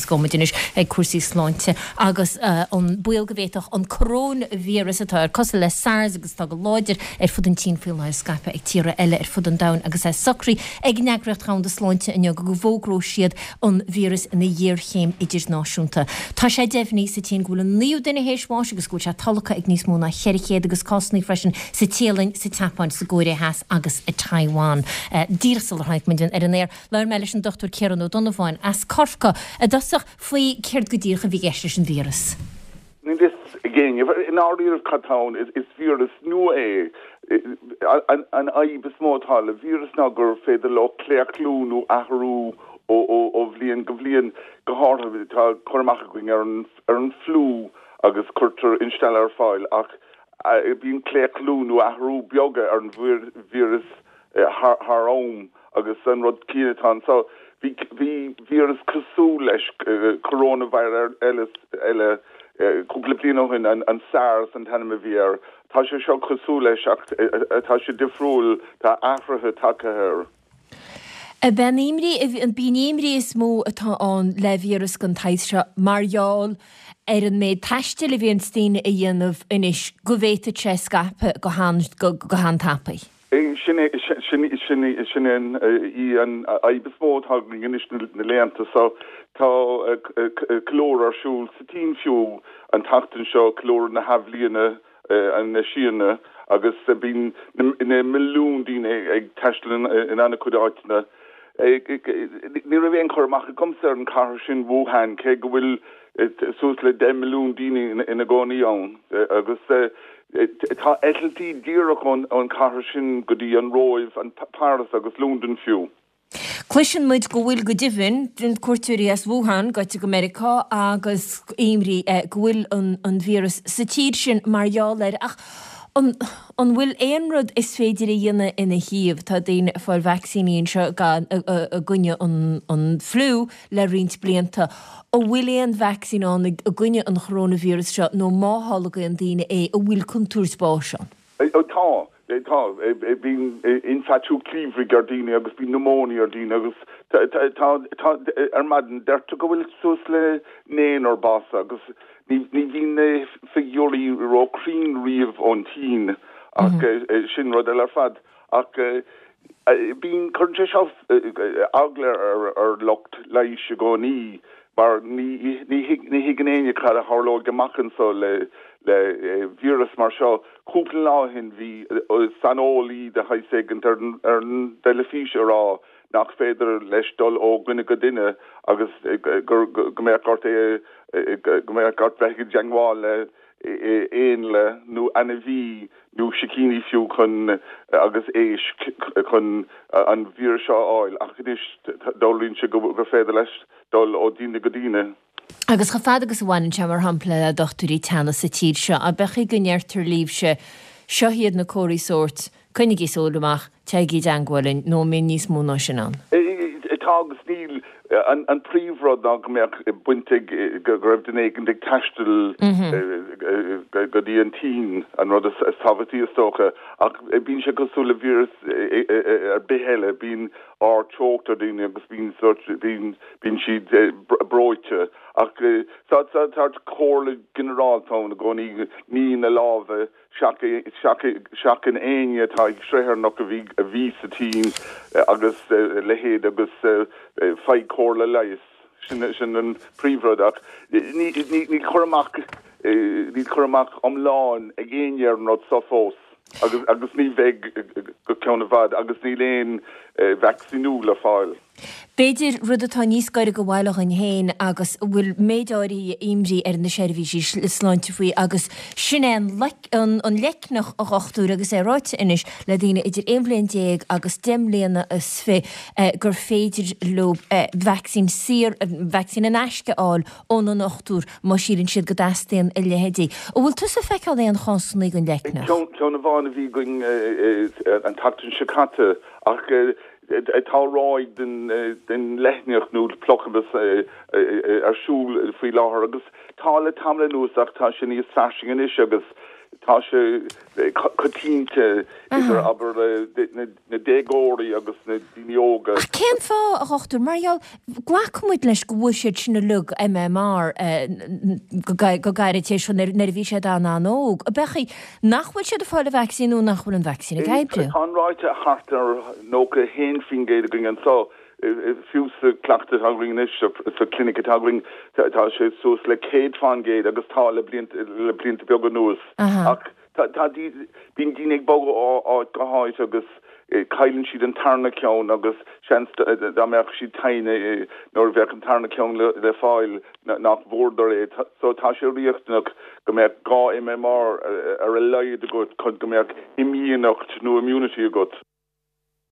agus gabhfaidh muid anois ag cúrsaí sláinte agus an baol go bhféadfadh an coróinvíreas atá ar cosúil le SARS agus atá go láidir ar fud an tSín faoi láthair scaipeadh ag tíortha eile ar fud an domhain agus é socraithe ag an Eagraíocht Dhomhanda Sláinte inniu go bhfógróidh siad an víreas ina ghéarchéim idirnáisiúnta. Tá sé deimhnithe sa tSín go bhfuil an naoú duine théis bháis agus go bhfuil sé tolgtha ag níos mó ná 400 agus cásanna freisin sa Téalainn, sa tSeapáin, sa gCóiré Theas agus i Taiwan. Díreach sular tháinig muid ar an aer, labhair mé leis an Dr Ciarán Ó Donnabháin as Corcaigh i dtosach faoi céard go díreach a bhí i gceist leis an víreas. Níl fhios ag éinne i ndáiríre cad tá ann. Is víreas nua é. An fhadhb is mó atá le víreas ná gur féidir leo claochlú nó athrú ó bhliain go bliain. Go háirithe, tá cur amach againn ar an fliú agus cuirtear instealladh ar fáil ach bíonn claochlú nó athrú beaga ar an víreas thar am agus an rud céanna atá anseo. Bhí bhí víreas cosúil leis, coronavirus eile, cúpla bliain ó shin, an SARS an t-ainm a bhí air. Tá sé seo cosúil leis ach tá sé difriúil, tá athruithe tagtha air. Ab é an imní, ab í an imní is mó atá ann le víreas den tsaghas seo mar gheall ar an méid taistil a bhíonns daoine a dhéanamh anois go bhféadfadh sé scaipeadh go han-tapaidh. Sin é, sin í, sin í an fhadhb is mó atá againn anois na laethanta seo. Tá ceiliúradh ar siúl sa tSín fiú an tseachtain seo, ceiliúradh na hAthbhliana na Síne agus bíonn na milliúin daoine ag taisteal in an-chuid áiteanna. Ní raibh aon chur amach agamsa ar an chathair sin, Wuhan, cé go bhfuil suas le 10 milliún daoine ina gcónaí ann agus tá eitiltí díreach ón chathair sin go dtí an Róimh, Paris agus Londain fiú. Cloiseann muid go bhfuil go deimhin cuairteoirí as Wuhan gaibhte go Meiriceá agus imní go bhfuil an víreas sa tír sin mar gheall air ach an bhfuil aon rud is féidir a dhéanamh ina thaobh? Tá daoine ag fáil vacsaíní anseo i gcoinne an fliú le roinnt blianta. An bhfuil aon vacsaín ann i gcoinne an choróinvíreas seo nó má tholgaíonn daoine é an bhfuil contúirt báis ann? Tá. Tá. Bíonn ionfhabhtú cliabhraigh ar daoine agus bíonn pneumonia ar daoine agus tá, tá, ar maidin deirtear go bhfuil suas le naonúr básaithe agus ní, ní bhíonn na figiúirí ró-chruinn riamh ón tSín ach sin rud eile ar fad. Ach bíonn, cuireann sé seo eagla ar lucht leighis i gcónaí mar ní, ní thuigeann éinne cad a tharlóidh amach anseo le, le víreas mar seo. Cúpla lá ó shin bhí saineolaí de shaghas éigint ar an dteilifís ag rá nach féidir leis dul ó dhuine go duine agus go mbeadh ort é, go mbeadh ort bheith i dteangmháil le éanlaith nó ainmhí nó sicíní fiú chun agus éisc chun an víreas seo a fháil ach anois dealraíonn sé gur féidir leis dul ó daoine go daoine. Agus chomh fada agus a bhaineann sé, mar shampla, le dochtúirí teannais sa tír seo, ab é go ndeirtear libhse, seo iad na comharthaí sóirt, coinnigí súil amach, téigí i dteangmháil linn, nó an mbíonn níos mó ná sin ann? Tá agus níl. An príomhrud ná go mbeadh baint ag, go raibh duine éigin ag taisteal go dtí an tSín, an rud is tábhachtaí is dócha. Ach bíonn sé cosúil le víreas ar bith eile, bíonn ardteocht ar dhaoine agus bíonn sórt, bíonn, bíonn siad breoite. Ach tá, tá comhairle ginearálta ann i gcónaí, nigh na lámha, seachain éinne atá ag sraotharnach a bhí, a bhí sa tSín agus a leithéid agus faigh comhairle leighis. Sin, sin an príomhrud ach ní, ní, níl cur amach, níl cur amach iomlán ag éinne ar an rud seo fós. Agus, agus ní bheidh go ceann i bhfad agus níl aon vacsaíniú le fáil. B'fhéidir rud atá níos gaire do bhaile dhuinn féin agus a bhfuil méid áirithe imní ar na seirbhísí sláinte faoi agus sin é an an leicneach, a dhochtúir, agus é ráite anois le daoine idir 11 bhliain agus 10 mbliana is fi gur féidir leo vacsaín saor, vacsaín in aisce a fháil óna ndochtúir má shíleann siad go dteastaíonn a leithéidí. An bhfuil tusa ag feiceáil aon chásanna den leicneach? Ceann amháin a bhí againn an tseachtain seo caite ach tá ráig den leicneach nó plucamas ar siúl faoi láthair agus tá le tamall anuas ach tá sé níos fairsinge anois agus. Tá sé coitianta idir, abair, na déagóirí agus na daoine óga. Ach cén fáth, a dhochtúir? Mar gheall, glacann muid leis go bhfuair siad sin uilig MMR go gairid tar éis nuair a bhí siad an-an-óg. Ab é nach bhfuil siad ag fáil an vacsaín nó nach bhfuil an vacsaín ag oibriú? Tá an ráta thart ar 91% againn anseo. Fiú sa chleachtadh atá againn anois, sa clinic atá againn, tá sé suas le 100% agus tá le blianta beaga anuas. Ach tá, bíonn daoine ag bogadh ó áit go háit agus cailleann siad an tarna ceann agus seans dá mbeadh siad tinn nuair a bheadh an tarna ceann le fáil nach bhfuaireadar é. So tá sé riachtanach go mbeadh 2 MMR ar a laghad agat chun go mbeadh imdhíonacht nó immunity agat.